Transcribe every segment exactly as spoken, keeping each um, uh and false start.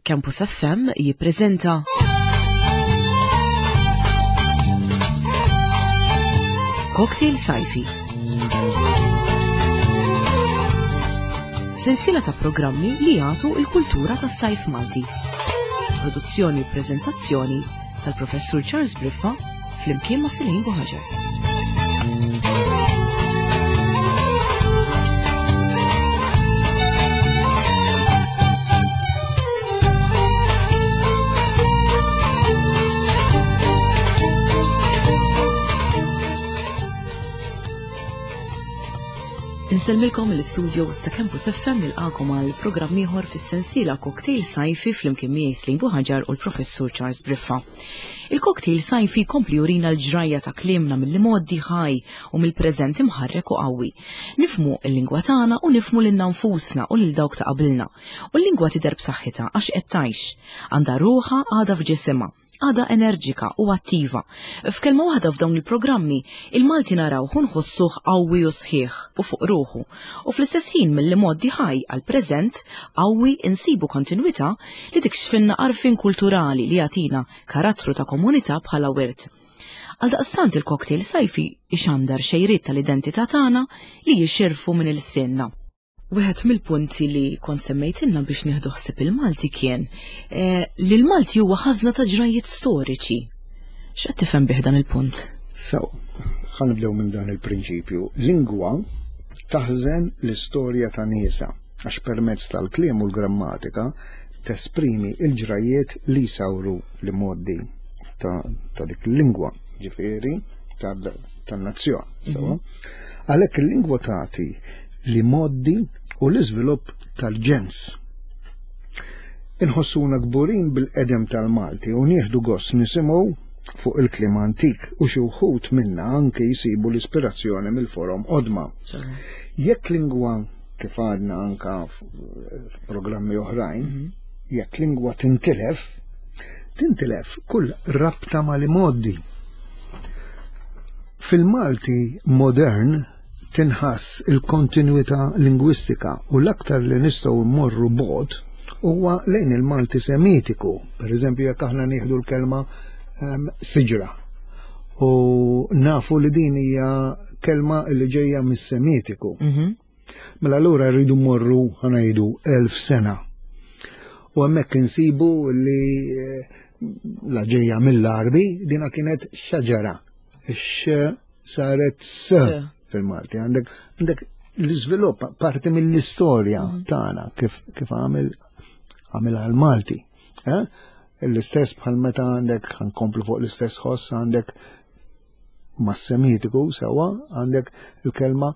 Campus F M jippreżenta Cocktail Sajfi. Sensiela ta' programmi li jagħtu l-kultura tas-sajf Malti. Produzzjoni u preżentazzjoni tal-Professur Charles Briffa flimkien ma' Celine Buhaġar. Insellmilkom l-istudio ta' Campus F M nilqakom għal programm ieħor fis-sensiela Cocktail Sajfi flimkien miegħi Celine Buhaġar u l-Professur Charles Briffa. Il-Cocktail Sajfi kompli jurina l-ġrajja ta' kliemna mill-modi ħaj u mill-preżent imħarrek u qawwi. Nifmu l-lingwa tagħna u nifmu lilna nfusna u lil dawk ta' qabilna. U l-lingwa tidher b'saħħitha għax qed tgħix. Għandha ruħha għadha f'ġisimha. Għadha enerġika u attiva. F'kelma waħda f'dawn il-programmi, il-Malti narawh u nħossuh qawwi u sħiħ u fuq ruħu. U fl-istess ħin mill-modi ħaj għal-preżent qawwi insibu kontinwità li tikxfinna għarfien kulturali li jagħtina karattru ta' komunità bħala wirt. Għaldaqstant il-cocktail sajfi ixandar xejriet tal-identità tagħna li jixirfu minn il-sinna. Wieħed mill-punti li kont semmejtilna biex nieħdu ħsieb il-Malti kien, eh, li l-Malti huwa ħażna ta' ġrajjiet storiċi. X'qed tifhem bih dan il-punt? So, ħa nibdew minn dan il-prinċipju. Lingwa taħżen l-istorja ta' niesa għax permezz tal-kliem u l-grammatika tesprimi l-ġrajjiet li jsawru l-modi ta', ta' dik il-lingwa, ġifieri tan-nazzjon. Sewa? Għalhekk il-lingwa tagħti li moddi u l-iżvilupp tal-ġens. Inħossuna kburin bil-qedem tal-Malti u nieħdu gost nisimgħu fuq il-kliem antik u xi wħud minna anke jsibu l-ispirazzjoni mill-forom qodma. Jekk lingwa, kif għadna anka f'programmi oħrajn, Mhm. jekk lingwa tintilef, tintilef kull rabta mal-imoddi. Fil-Malti modern tinħass il-kontinuità lingwistika u l-aktar li nistgħu mmorru bogħod huwa lejn il-Malti Semitiku. Per eżempju, jekk aħna nieħdu l-kelma, ehm, siġra u nafu li din hija kelma li ġejja mis-Semitiku. Mhm. Mela allura rridu mmorru ħanajdu elf sena. U hemmhekk insibu li, eh, la ġejja mill-Arbi dina kienet xaġara. Ix saret s S. fil-Malti. Għandek, għandek l-iżvilupp parti mill-istorja Mhm. tagħna kif, kif għamil, għamil għal-Malti. Eh? L-istess bħal meta għandek, ħankomplu fuq l-istess ħoss, għandek mas-Semitiku sewwa, għandek il-kelma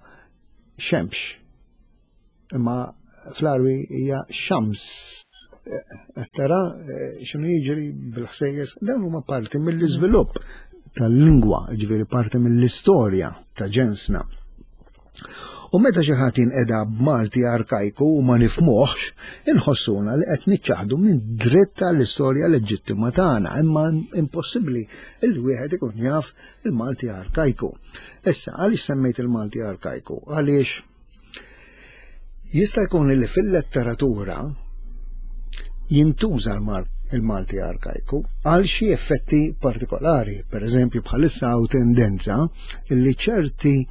xemx. Imma fl-Arbi hija xams. Eh, tara, eh, x'inhu jiġri bil-ħsejjes, dawn huma parti mill-iżvilupp tal-lingwa, ġifieri parti mill-istorja ta' ġensna. U meta xi ħadd jinqeda b'Malti arkajku u ma nifhmuhx, inħossuna li qed niċċaħdu minn dritt tal-istorja leġittima tagħna, imma impossibbli li wieħed ikun jaf il-Malti arkajku. Issa, għaliex semmejt il-Malti arkajku? Għaliex jista' jkun li fil-letteratura jintuża l-Mar-, il-Malti arkajku għal xi effetti partikolari. Per eżempju, bħalissa hawn tendenza li ċerti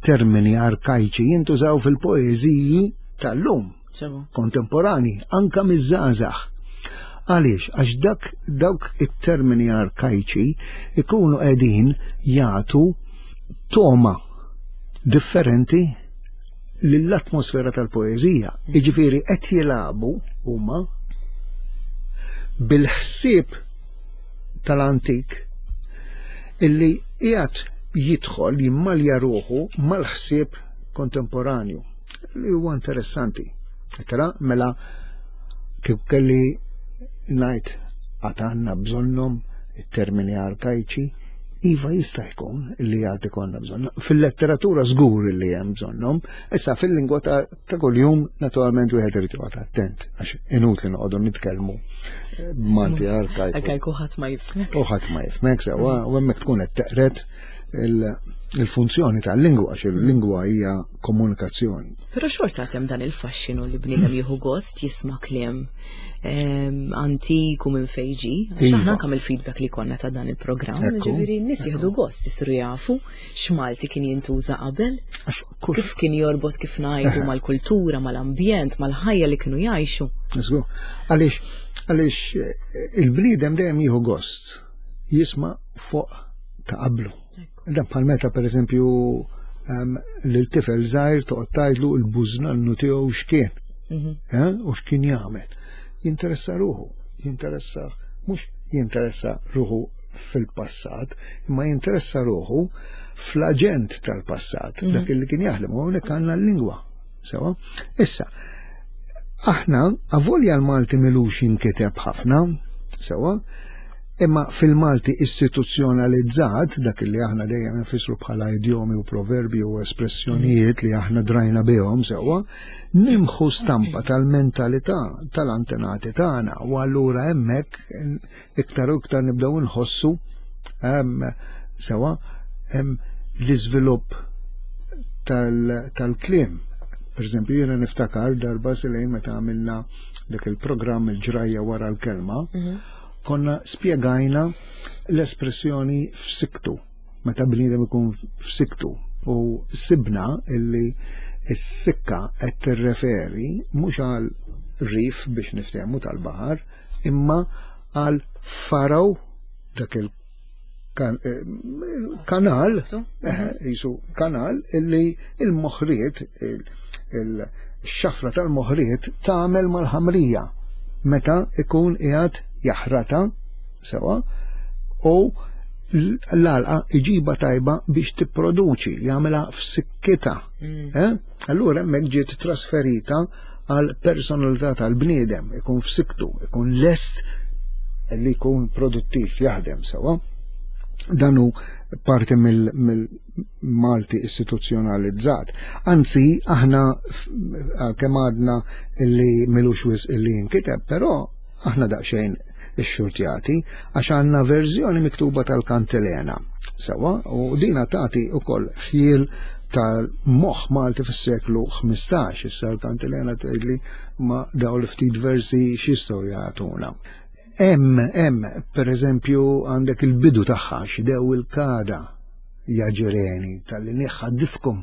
termini arkajċi jintużaw fil-poeżiji tal-lum, Sewa. kontemporani, anka miż-żgħażagħ. Għaliex? Għax dak, dawk it-termini arkajċi ikunu qegħdin jagħtu toma differenti lill-atmosfera tal-poeżija. Jiġifieri qed jilagħbu huma bil-ħsieb tal-antik illi qiegħed jidħol jimmalja ruħu mal-ħsieb kontemporanju li huwa interessanti. Tara, mela kieku kelli ngħid għad għandna bżonnhom it-termini arkajċi, iva jista' jkun li għad ikollna bżonnhom. Fil-letteratura żgur li hemm bżonnhom, issa fil-lingwa ta', ta' kuljum naturalment wieħed irid joqgħod attent għax inutli noqogħdu nitkellmu b'Malti arkajku. Arkajku ħadd ma jifhmek. U ħadd ma jifhmek sewwa, u hemmhekk tkun qed teqret il-, il-funzjoni tal-lingwa, għax il-lingwa hija komunikazzjoni. Però xorta hemm dan il-faxxinu li bniedem jieħu gost jisma' kliem ehm, antik u minn fejn ġie. Għax Iva. aħna anke mill-feedback li konna ta' dan il-programm, Ekku, ġifieri n-nies jieħdu gost isiru jafu x'Malti kien jintuża qabel, Għax kull kif kien jorbot kif ngħidu mal-kultura, mal-ambjent, mal-ħajja li kienu jgħixu. Żgur. Għaliex, għaliex eh, il-bniedem dejjem jieħu gost jisma' fuq ta' qablu. Dan bħal meta per eżempju um, lil tifel żgħir toqgħod tgħidlu l-bużnannu tiegħu x'kien. Mhm. Eh, u x'kien jagħmel. Jinteressa ruħu, jinteressa mhux jinteressa ruħu fil-passat, imma jinteressa ruħu fl-aġent tal-passat, dak li kien jaħdem, u hawnhekk għandna l-lingwa. Sewa? Issa, aħna avolja l-Malti m'ilux jinkiteb ħafna, sewa, imma fil-Malti istituzzjonalizzat, dak li aħna dejjem nfissru bħala idjomi u proverbi u espressjonijiet li aħna drajna bihom sewa, nimħu stampa tal-mentalità tal-antenati tagħna u allura hemmhekk iktar u iktar nibdew nħossu em, sewa em, l-iżvilupp tal- tal-kliem. Per eżempju, jiena niftakar darba silejn meta għamilna dak il-programm il-ġrajja wara l-kelma, konna spjegajna l-espressjoni f'siktu, meta bniedem ikun f'siktu, u sibna illi s-sikka qed tirreferi mhux għal rif biex niftehmu tal-baħar, imma għal faraw dak il kan, eh, kanal, Su? eh, jisu kanal illi il-moħriet, il-xafra tal-moħriet tagħmel mal-ħamrija meta ikun qiegħed jaħrata sewa u l-għalqa iġiba tajba biex tipproduċi, jagħmilha f'sikkita. Eh? Allura hemmhekk ġiet trasferita għal personalità tal-bniedem, ikun f'siktu, ikun lest li jkun produttiv jaħdem sewa. Dan hu parti mill-Malti istituzzjonalizzat. Anzi, aħna kemm għadna illi m'ilux wisq illi jinkiteb, però aħna daqsxejn ix-xurtjati għax għandna verżjoni miktuba tal-Kantilena. Sewa, u dina tagħti ukoll ħjiel tal-moħ Malti fis-seklu ħmistax, issa l-Kantilena tgħidli ma daw l-ftit versi x'jistgħu jagħtuna. Hemm, hemm, per eżempju, għandek il-bidu tagħha x'dew il-kada ja ġireni tal-li niħħaddithkom.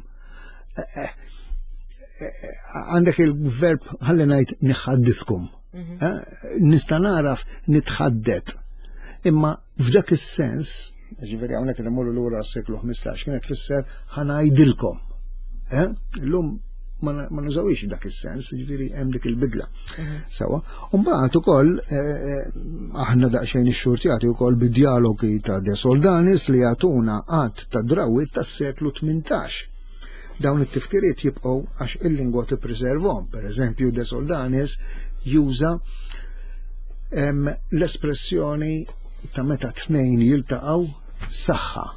Għandek il-verb ħalli ngħid niħħaddithkom. Nista' naraf nitħaddet. Imma f'dak is-sens, ġifieri hawnhekk qed immorru lura s-seklu ħmistax, kienet tfisser ħa ngħidilkom. Illum ma nużawix dak is-sens, ġifieri hemm dik il-bidla. Sewa. Mbagħad ukoll aħna daqsxejn ix-xurtjati wkoll bid-dialogi ta' De Soldanis li jagħtuna għadd ta' drawwiet tas-seklu tmintax. Dawn it-tifkiriet jibqgħu għax il-lingwa tippreservhom. Per eżempju, De Soldanis juża l-espressjoni ta' meta tnejn jiltaqgħu saħħa.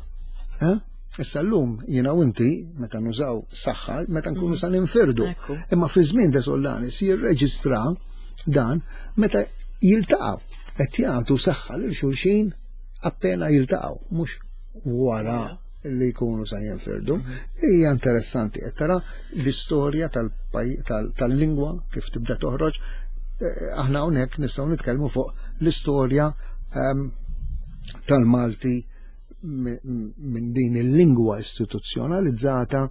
Issa llum jiena u inti meta nużaw saħħa meta nkunu sa ninfirdu. Imma fi żmien De Soldanis jirreġistra dan meta jiltaqgħu qed jagħtu saħħa lil xulxin appena jiltaqgħu, mhux wara li jkunu sa jinfirdu. Hija interessanti qed tara l-istorja tal-lingwa kif tibda toħroġ. Aħna hawnhekk nistgħu nitkellmu fuq l-istorja tal-Malti minn din il-lingwa istituzzjonalizzata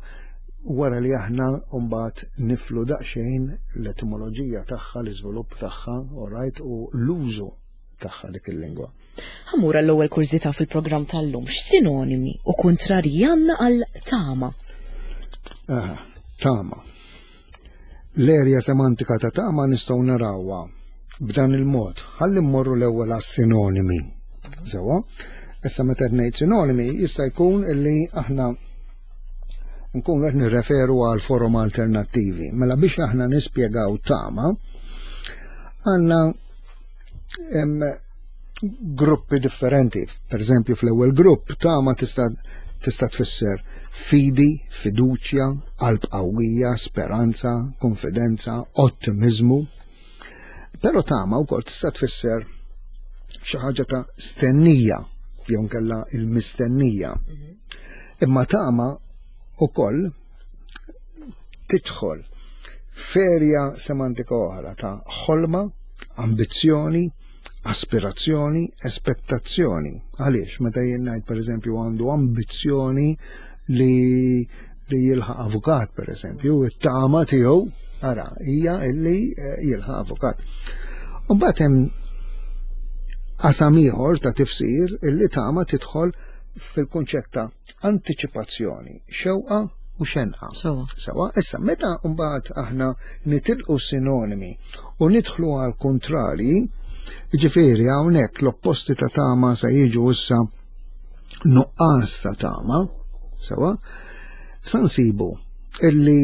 wara li aħna mbagħad niflu daqsxejn l-etimoloġija tagħha, l-iżvilupp tagħha, all right, u l-użu tagħha dik il-lingwa. Ħa mmur l-ewwel kurżità fil-programm tal-lum, x'sinonimi u kontrarji għandna għal tama? Aha, tama. L-erja semantika ta' tama nistgħu narawha b'dan il-mod. Ħalli mmorru l-ewwel għas-sinonimi. Sewa, issa meta ngħid sinonimi jista' jkun illi aħna nkunu qed nirreferu għal forom alternattivi. Mela biex aħna nispjegaw tama, għandna gruppi differenti. Per eżempju, fl-ewwel grupp tama tista' tista' tfisser fidi, fiduċja, qalb qawwija, speranza, konfidenza, ottimizmu. Però tama wkoll tista' tfisser xi ħaġa ta' stennija jew nkella il-mistennija. Imma tama ukoll tidħol f'erja semantika oħra ta' ħolma, ambizzjoni, aspirazzjoni, aspettazzjoni. Għaliex, meta jien ngħid, pereżempju, għandu ambizzjoni li li jilħaq avukat, pereżempju, it-tama tiegħu ara hija illi eh, jilħaq avukat. U mbagħad hemm qasam ieħor ta' tifsir illi tama tidħol fil-kunċett ta' antiċipazzjoni, xewqa u xenqa. Sewa. Sewa, issa meta mbagħad aħna nitilqu sinonimi u nidħlu għal kontrari, ġifieri hawnhekk l-opposti ta' tama se jiġu issa nuqqas ta' tama, sewa, sa nsibu illi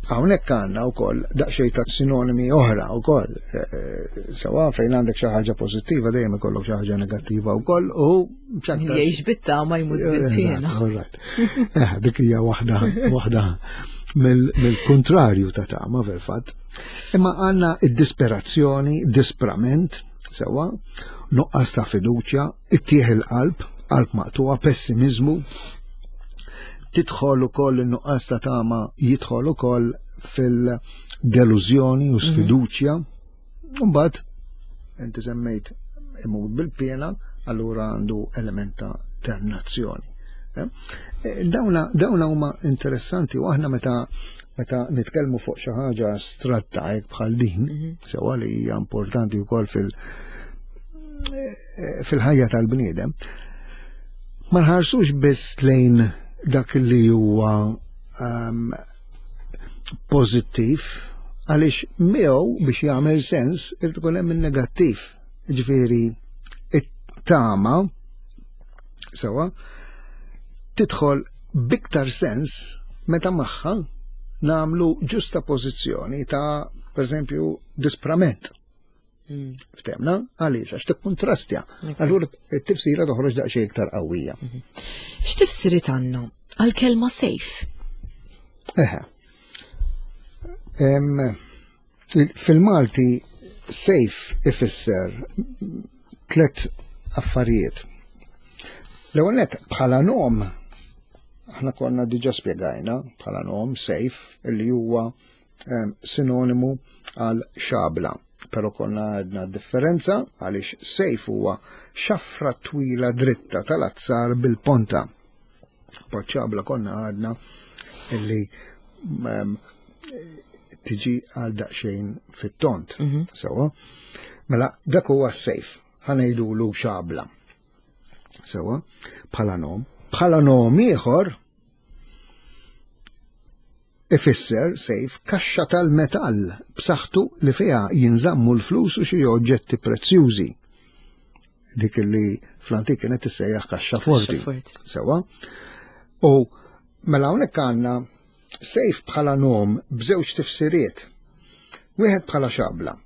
hawnhekk għandna wkoll daqsxejn ta' sinonimi oħra wkoll, eh, eh, sewa, fejn għandek xi ħaġa pożittiva dejjem ikollok xi ħaġa negattiva wkoll u x'aktar- Jgħix bit-tama jmut bil-piena. Eżatt, all right. Eh, dik hija waħda waħda mill- mill-kontrarju ta' tama fil-fatt. Imma għandna id-disperazzjoni, disprament, sewa, nuqqas ta' fiduċja, it-tieħ il-qalb, qalb maqtuwa, pessimizmu, tidħol ukoll in-nuqqas ta' tama, jidħol ukoll fil-delużjoni u sfiduċja. Mbagħad inti semmejt imut bil-pena, allura għandu element ta' dannazzjoni. Eh? Eh, Dawna, dawna huma interessanti u aħna meta meta nitkellmu fuq xi ħaġa astratta hekk bħal din, sewa li hija importanti wkoll fil eh, fil-ħajja tal-bniedem, ma nħarsux biss lejn dak li huwa um, pożittiv, għaliex miegħu biex jagħmel sens irid ikun hemm in-negattiv. Ġifieri it-tama sewa tidħol biktar sens meta magħha nagħmlu ġusta pożizzjoni ta', pereżempju, disprament. Mm. Ftemna, għaliex, għax tikkontrastja. Allura t-tifsira toħroġ daqsxejn iktar qawwija. X'tifsiriet għandna għal-kelma sejf? Eħe. Em, Fil-Malti sejf ifisser tlet affarijiet. L-ewwel nett, bħala nom, aħna konna diġà spjegajna bħala nom sejf illi huwa em, sinonimu għal xabla. Però konna għedna differenza għaliex sejf huwa xafra twila dritta tal-azzar bil-ponta. Xabla konna għedna illi em, tiġi għal daqsxejn fit-tont. Sewa. Mela, dak huwa s-sejf, ħa ngħidulu xabla. Sewa, bħala nom. Bħala nom ieħor ifisser sejf kaxxa tal-metall b'saħħtu li fiha jinżammu l-flus u xi oġġetti prezzjużi. Dik li fl-antik kienet tissejjaħ kaxxa forti. forti. Sewa. U mela hawnhekk għandna sejf bħala nom b'żewġ tifsiriet. Wieħed bħala xabla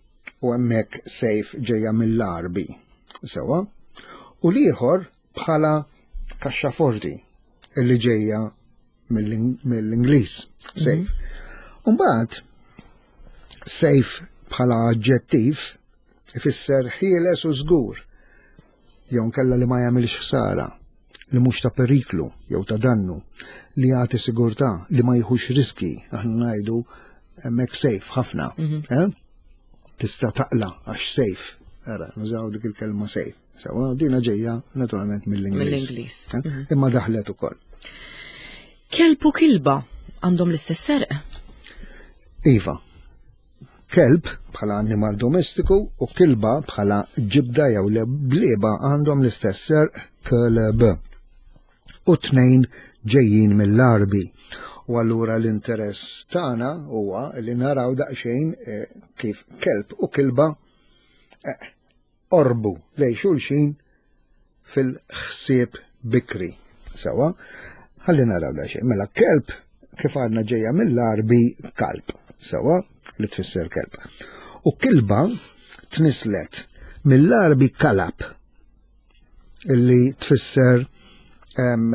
u hemmhekk sejf ġejja mill-Arbi. Sewa. U l-ieħor bħala kaxxa forti illi ġejja mill-Ingliż, safe. Umbagħad safe bħala aġġettiv ifisser ħieles u żgur, jew nkella li ma jagħmilx ħsara, li mhux ta' periklu jew ta' dannu, li jagħti sigurtà, li ma jieħux riski, aħna ngħidu hemmhekk safe ħafna. Eh? Tista' taqla għax safe. Ara, nużaw dik il-kelma safe. Sewa, dina ġejja naturalment mill-Ingliż. Mill-Ingliż. Eh? Imma daħlet ukoll. Kelb u kilba għandhom l-istess għerq? Iva. Kelb bħala annimal domestiku u kilba bħala ġibda jew leblieba għandhom l-istess għerq, klb. U tnejn ġejjin mill-Arbi. U allura l-interess tagħna huwa li naraw daqsxejn eh, kif kelb u kilba eh, orbu lej xulxin fil-ħsieb bikri. Sewa, ħalli naraw daqsxejn. Mela kelb kif għadna ġejja mill-Arbi kalb, sewa, li tfisser kelb. U kilba tnislet mill-Arbi kalab, illi tfisser em,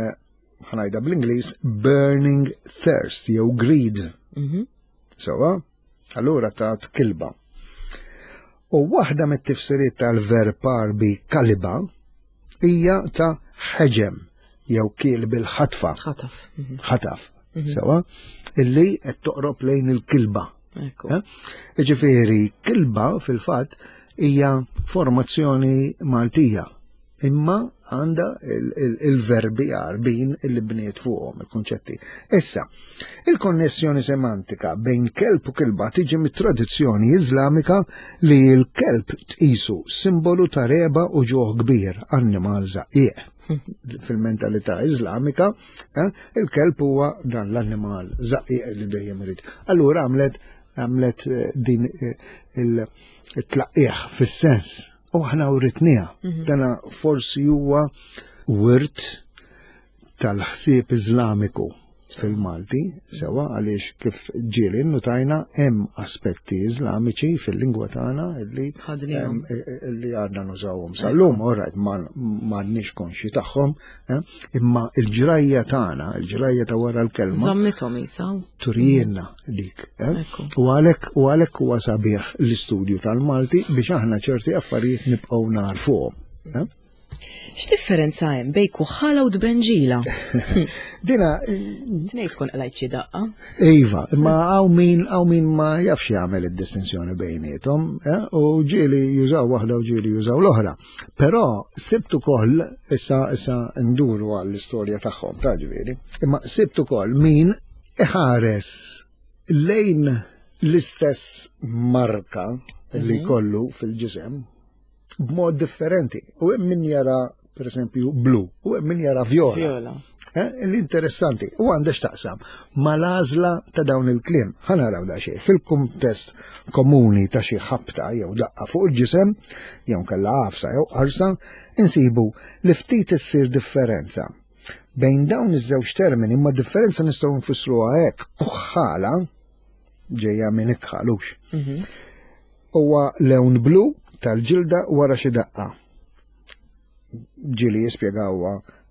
ħa ngħidha bl-Ingliż, burning thirst jew greed. Sewa, allura tat kilba. U waħda mit-tifsiriet tal-verb Arbi kaliba hija ta' ħeġem jew kiel bil-ħatfa. Ħataf. Mhm. Ħataf. Sewa, illi qed toqrob lejn il-kilba. Ekku. Eh? Ġifieri, kilba fil-fatt hija formazzjoni Maltija. Imma għandha il-verbi Għarbin illi bniet fuqhom il-konċetti. Issa, il-konnessjoni semantika bejn kelb u kilba tiġi mit-tradizzjoni Iżlamika li l-kelb tqisu simbolu ta' reba u ġuħ kbir, annimal żaqqieq. Fil-mentalità Iżlamika, eh, il-kelb huwa dan l-annimal żaqqieq li dejjem irid. Allura għamlet għamlet eh, din eh, il-tlaqqieħ fis-sens. U aħna writniha. Dana forsi huwa wirt tal-ħsieb Iżlamiku fil-Malti, sewa għaliex kif ġieli notajna hemm aspetti Iżlamiċi fil-lingwa tagħna illi Ħadnihom. em, illi għadna nużawhom. Sal-lum, all right, ma m'għadniex konxi tagħhom, eh, imma il-ġrajja tagħna, il-ġrajja ta' wara l-kelma, Żammithom isa. turijienna dik. eh? Ekku. U għalhekk u għalhekk huwa sabiħ l-istudju tal-Malti biex aħna ċerti affarijiet nibqgħu narfuhom. eh? X'differenza hemm bejn kuħħala u dbenġila? Dina, Tnejn tkun qlajt xi daqqa. Iva, imma hawn min hawn min ma jafx jagħmel id-distinzjoni bejniethom, eh? U ġieli jużaw waħda u ġieli jużaw l-oħra. Però sibt ukoll issa issa nduru għall-istorja tagħhom ta' ġifieri, imma sibt ukoll min iħares lejn l-istess marka li kollu fil-ġisem b'mod differenti. U hemm min jara per esempio blu, u hemm min jara vjola. Vjola. Eh, L-interessanti, u għandha x'taqsam mal-għażla ta' dawn il-kliem. Ħa naraw da xejn fil-kuntest komuni ta' xi ħabta jew daqqa fuq il-ġisem, jew kella għafsa jew qarsa, insibu li ftit issir differenza bejn dawn iż-żewġ termini, imma differenza nistgħu nfissruha hekk, kuħħala ġejja minn ikħalux. Huwa lewn blu tal-ġilda wara xi daqqa. Ġieli jispjegawha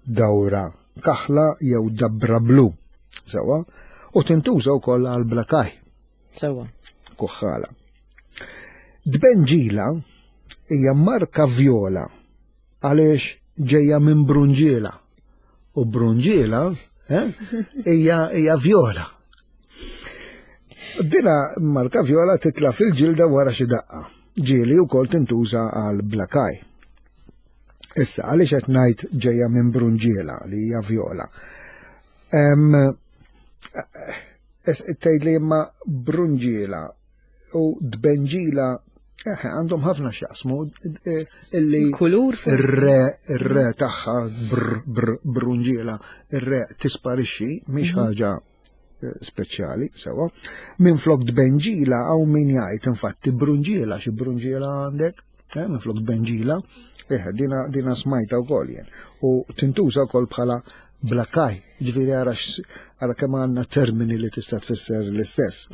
dawra kaħla jew dabra blu. Sewa, u tintuża wkoll għal black eye, Sewa. kuħħala. Dbenġila hija marka vjola għaliex ġejja minn brunġiela. U brunġiela eh, hija hija vjola. Dina marka vjola titla fil-ġilda wara xi daqqa. Ġieli wkoll tintuża għal black eye. Issa, għaliex qed ngħid ġejja minn brunġiela li hija vjola. Em, es- Tgħid li imma brunġiela u dbenġila eh, għandhom ħafna x'jaqsmu eh, illi Kulur forsi. ir-re ir-re tagħha br, br, brunġiela ir-re tisparixxi mhix ħaġa eh, speċjali sewa. Minn flok dbenġila hawn min jgħid infatti brunġiela xi brunġiela għandek, eh, minn flok dbenġila, eh, dina, dina smajta wkoll jien. U tintuża wkoll bħala black eye, ġifieri ara x- ara kemm għandna termini li tista' tfisser l-istess.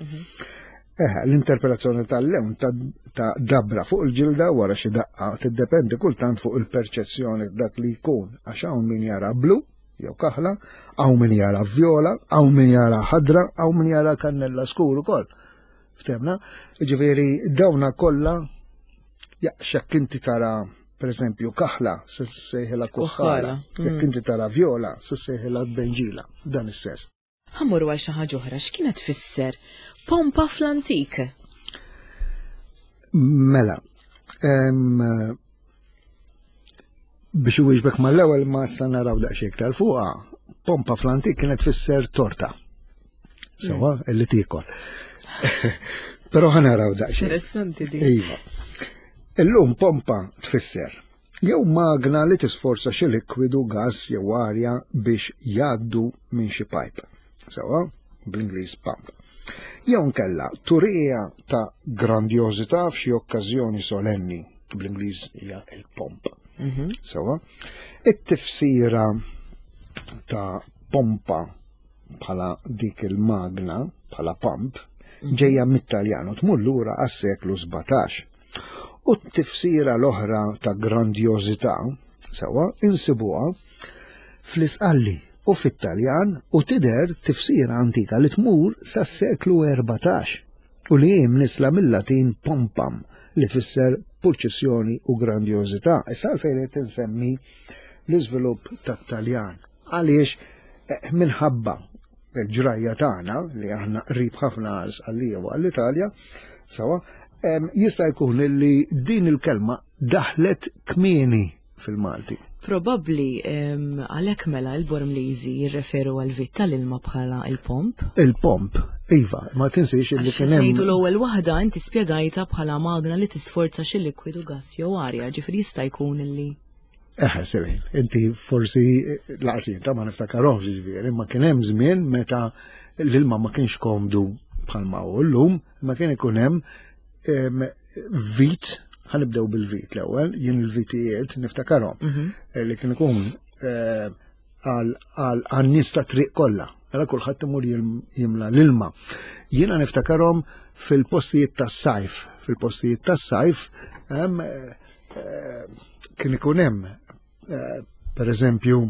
Eh, l-interpretazzjoni tal-lewn ta', ta' dabra fuq il-ġilda wara xi daqqa tiddependi kultant fuq il-perċezzjoni dak li jkun għax hawn min jara blu jew kaħla, hawn min jara vjola, hawn min jara ħadra, hawn min jara kannella skur ukoll. Ftemna? Ġifieri dawna kollha jaqxek inti tara per esempio kaħla se sejħilha kuħħala, Kuħħala, jekk inti tara vjola se sejħilha benġila, dan is-sens. Ħa mmorru għal xi ħaġa oħra, x'kienet tfisser pompa fl-antik? Mela, em, biex iwieġbek mal-ewwel ma sa naraw daqsxejn iktar fuqha, pompa fl-antik kienet tfisser torta. Sewa, illi tiekol. Però ħa naraw daqsxejn. Interessanti di. Iva. Illum pompa tfisser jew magna li tisforza xi likwidu, gas jew arja biex jgħaddu minn xi pipe. Sewa, bl-Ingliż pump. Jew nkella turija ta' grandjożità f'xi okkażjoni solenni, bl-Ingliż hija il-pomp. Sewa, it-tifsira ta' pompa bħala dik il-magna, bħala pump, ġejja mit-Taljan u tmur lura għas-seklu sbatax. U t-tifsira l-oħra ta' grandjożità, sewa, insibuha fl-Isqalli u fit-Taljan u tidher tifsira antika li tmur sas-seklu erbatax u li hi mnisla mill-Latin pompam li tfisser purċissjoni u grandjożità. Issa għalfejn qed insemmi l-iżvilupp tat-Taljan. Għaliex eh, minħabba il-ġrajja tagħna li aħna qrib ħafna għal Sqallija u għall-Italja, sawa, jista' jkun li din il-kelma daħlet kmieni fil-Malti. Probabbli għalhekk mela l-Bormliżi jirreferu għal vit tal-ilma bħala il-pomp. Il-pomp, iva, ma tinsiex li kien hemm. Ngħidu l-ewwel waħda inti spjegajta bħala magna li tisforza xi likwidu gas jew arja, ġifieri jista' jkun illi Eħe, Selin, inti forsi laqsin ta' ma niftakarhomx ġifieri, ma kien hemm żmien meta l-ilma ma kienx komdu bħalma hu llum, ma kien ikun hemm vit, ħa nibdew bil-vit l-ewwel, jien il-vitijiet niftakarhom, mhm. li kien ikun eh, għal nies ta' triq kollha. Għala kulħadd imur jimla l-ilma. Jiena niftakarhom fil-postijiet tas-sajf, fil-postijiet tas-sajf eh, kien ikun hemm eh, per eżempju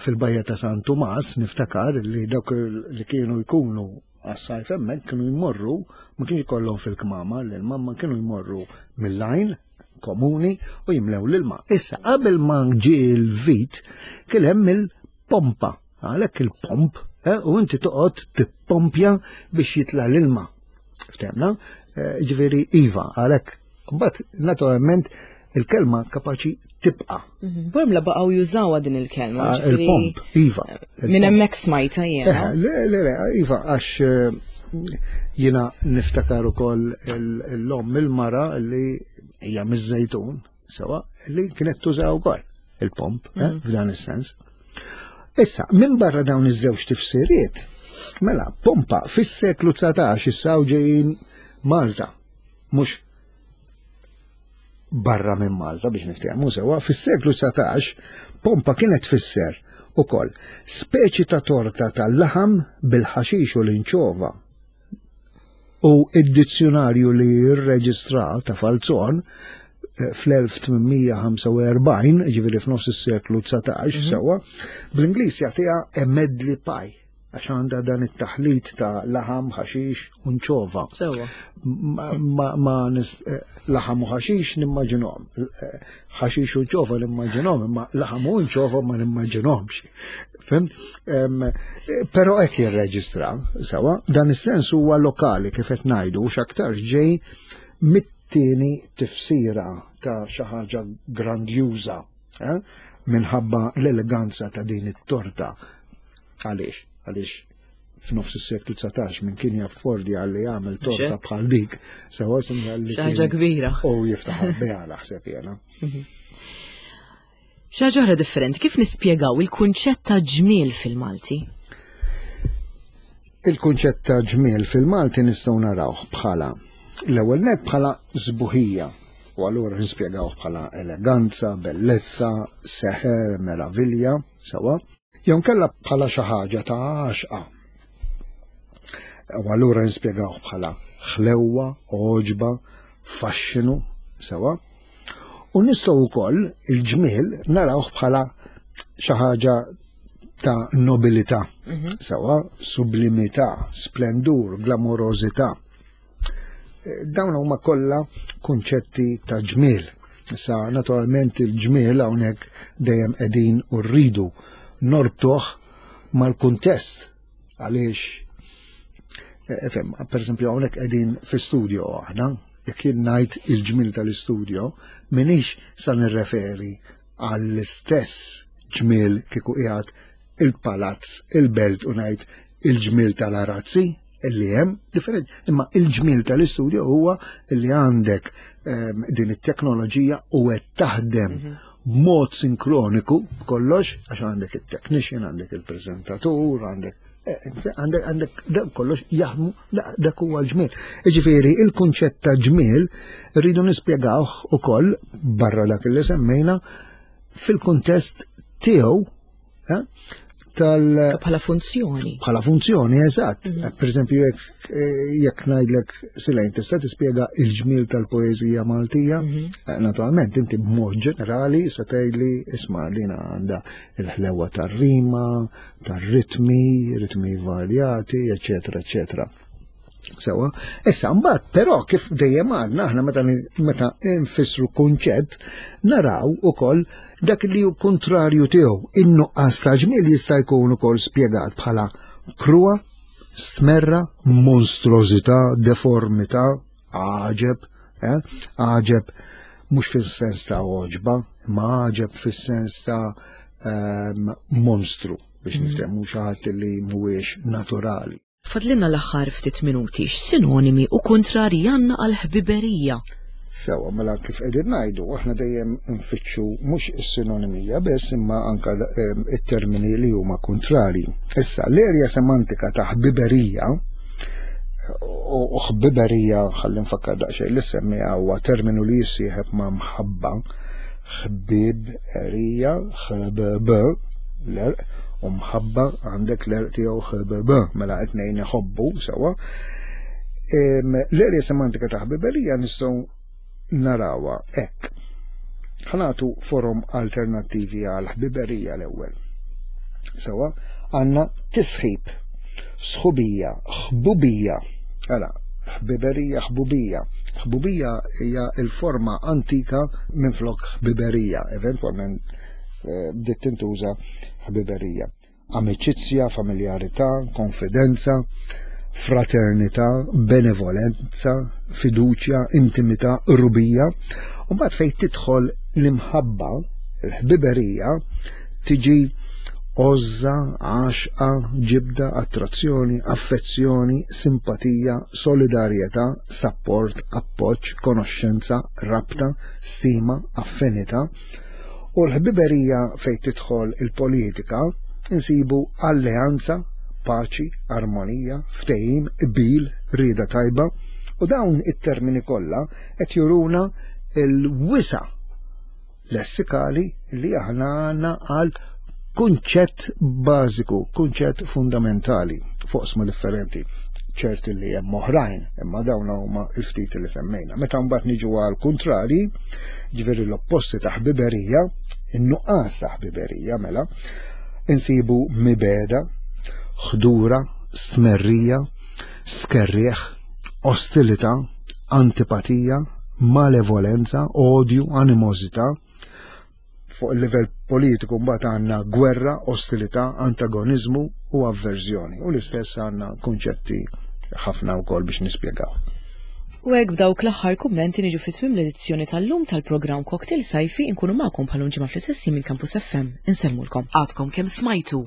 fil-bajja ta' San Tumas niftakar li dawk li kienu jkunu għas-sajf hemmhekk kienu jmorru, ma kienx ikollhom fil-kmama l-ilma, ma kienu jmorru mill-line komuni u jimlew l-ilma. Issa qabel ma ġie l-vit kien hemm il-pompa, għalhekk il-pomp, eh, u inti toqgħod tippompja biex jitla l-ilma. Ftehmna? Eh, ġifieri iva, għalhekk. Mbagħad naturalment il-kelma kapaċi tibqa. Mhm. Bormla baqgħu jużawha din il-kelma. Ah, il-pomp, iva. Minn hemmhekk smajta jiena. Eh, le, le, le, iva, għax eh, jiena niftakar ukoll l-omm il-mara li hija miż-Żejtun, sewa, li kienet tużaw ukoll il-pomp, eh, mhm. f'dan is-sens. Issa, minn barra dawn iż-żewġ tifsiriet, mela, pompa fis-seklu dsatax issa ġejjin Malta, mhux barra minn Malta biex niftehmu sewa, fis-seklu dsatax pompa kienet tfisser ukoll speċi ta' torta tal-laħam bil-ħaxix u l-inċova. U id-dizzjonarju li rreġistra ta' Falzon eh, fl-elf tmien mija ħamsa u erbgħin, ġifieri f'nofs is-seklu dsatax, mhm. sewa, bl-Ingliż jagħtiha a medley pie għax għandha dan it-taħlit ta' laħam, ħaxix u nċova. Sewa. Ma, ma nis, eh, laħam u ħaxix nimmaġinhom. Eh, ħaxix u nċova nimmaġinhom, imma laħam u nċova ma nimmaġinhomx. Fhimt? Però hekk jirreġistra, sewa, dan is-sens huwa lokali kif qed ngħidu u x'aktar ġej mit-tieni tifsira ta' xi ħaġa grandjuża, eh? Minħabba l-eleganza ta' din it-torta. Għaliex? Għaliex f'nofs is-seklu dsatax minn kien jaffordja li jagħmel torta bħal dik, sewa sinjal li. Xi kbira. U jiftaħ biha naħseb jiena. Xi ħaġa oħra differenti, kif nispjegaw il-kunċett ta' ġmiel fil-Malti? Il-kunċett ta' ġmiel fil-Malti nistgħu narawh bħala l-ewwel net bħala sbuħija. U allura nispjegawh bħala eleganza, bellezza, seħer, meravilja, sewa. Jew kella bħala xi ħaġa ta' għaxqa. U allura nispjegawh bħala ħlewwa, għoġba, faxxinu, sewa. U nistgħu wkoll il-ġmiel narawh bħala xi ħaġa ta' nobilità, mhm. sewa, sublimità, splendur, glamorożità. Dawn huma kollha kunċetti ta' ġmiel. Issa naturalment il-ġmiel hawnhekk dejjem qegħdin u rridu norbtuh mal-kuntest għaliex eh, fem, per esempio hawnhekk qegħdin fi studio aħna, jekk jien ngħid il-ġmiel tal-istudio, minix sa nirreferi għall-istess ġmiel kieku qiegħed il-palazz, il-belt u ngħid il-ġmiel tal-arazzi illi hemm differenti. Imma il-ġmiel tal-istudio huwa illi għandek um, din it-teknoloġija u qed taħdem mm -hmm. b'mod sinkroniku kollox, għax għandek il-technician, għandek il-prezentatur, għandek eh, għandek għandek dak kollox jaħdmu, dak huwa l-ġmiel. Ġifieri il-kunċett ta' ġmiel rridu nispjegawh ukoll barra dak li semmejna fil-kuntest tiegħu eh, tal Bħala funzjoni. Bħala funzjoni, eżatt. Mhm. Per eżempju, jekk jekk ngħidlek Silejn tista' tispjega il-ġmiel tal-poeżija Maltija, mhm. eh, naturalment inti b'mod ġenerali se tgħidli isma' dina għandha il-ħlewa tar-rima, tar-ritmi, ritmi varjati, eċetera, eċetera. Sewa, issa mbagħad però kif dejjem għadna aħna meta meta nfissru kunċett naraw ukoll dak li hu kontrarju tiegħu. In-nuqqas ta' ġmiel jista' jkun ukoll spjegat bħala kruha, stmerra, monstruożità, deformità, għaġeb, eh? Għaġeb mhux fis-sens ta' oġba, imma għaġeb fis-sens ta' um, monstru biex mm. niftehmu xi ħadd li mhuwiex naturali. Fadlilna l-aħħar ftit minuti, x'sinonimi u kontrari għandna għal ħbiberija? Sewa, mela kif qegħdin ngħidu, aħna dejjem nfittxu mhux is-sinonimija biss imma anka ehm, it-termini li huma kontrari. Issa, l-erja semantika ta' ħbiberija u ħbiberija ħalli nfakkar daqsxejn li semmija huwa terminu li jissieħeb ma' mħabba, ħbiberija, ħbb, l-erq, u mħabba għandek l-erq tiegħu ħbb, mela qed ngħin iħobbu sewa. L-erja semantika ta' ħbiberija nistgħu narawha hekk. Ħa nagħtu forom alternattivi għal ħbiberija l-ewwel. Sewa, għandna tisħib, sħubija, ħbubija. Għala, ħbiberija, ħbubija. Ħbubija hija l-forma antika minflok ħbiberija, eventwalment eh, bdiet tintuża ħbiberija. Amiċizzja, familjarità, konfidenza, fraternità, benevolenza, fiduċja, intimità, qrubija. U mbagħad fejn tidħol l-imħabba, il-ħbiberija, tiġi għożża, għaxqa, ġibda, attrazzjoni, affezzjoni, simpatija, solidarjetà, sapport, appoġġ, konoxxenza, rabta, stima, affinità. U l-ħbiberija fejn tidħol il-politika insibu alleanza, paċi, armonija, ftehim, qbil, rieda tajba, u dawn it-termini kollha qed juruna l-wisa' lessikali li aħna għandna għal kunċett bażiku, kunċett fundamentali fuq oqsma differenti. Ċerti li hemm oħrajn, imma dawn huma l-ftit li semmejna. Meta mbagħad niġu għal kontrari, ġifieri l-opposti ta' ħbiberija, in-nuqqas ta' ħbiberija mela, insibu mibeda, ħdura, stmerrija, stkerrieħ, ostilità, antipatija, malevolenza, odju, animożità. Fuq il-livell politiku mbagħad għandna gwerra, ostilità, antagoniżmu u avverżjoni. U l-istess għandna kunċetti ħafna wkoll biex nispjegaw. U hekk b'dawk l-aħħar kummenti niġu fi tmiem l-edizzjoni tal-lum tal-programm Cocktail Sajfi. Inkunu magħkom bħal ġimgħa fl-istess minn Campus F M. Insellmulkom. Għadkom kemm smajtu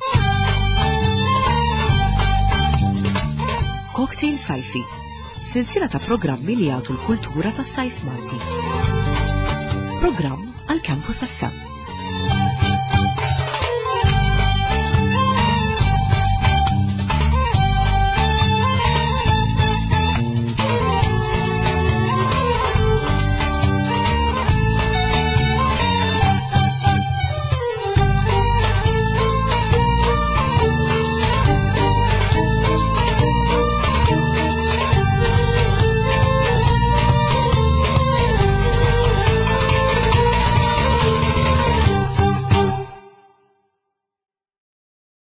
Cocktail Sajfi, silsila ta' programmi li jagħtu l-kultura tas-sajf Malti. Programm għal Campus F M.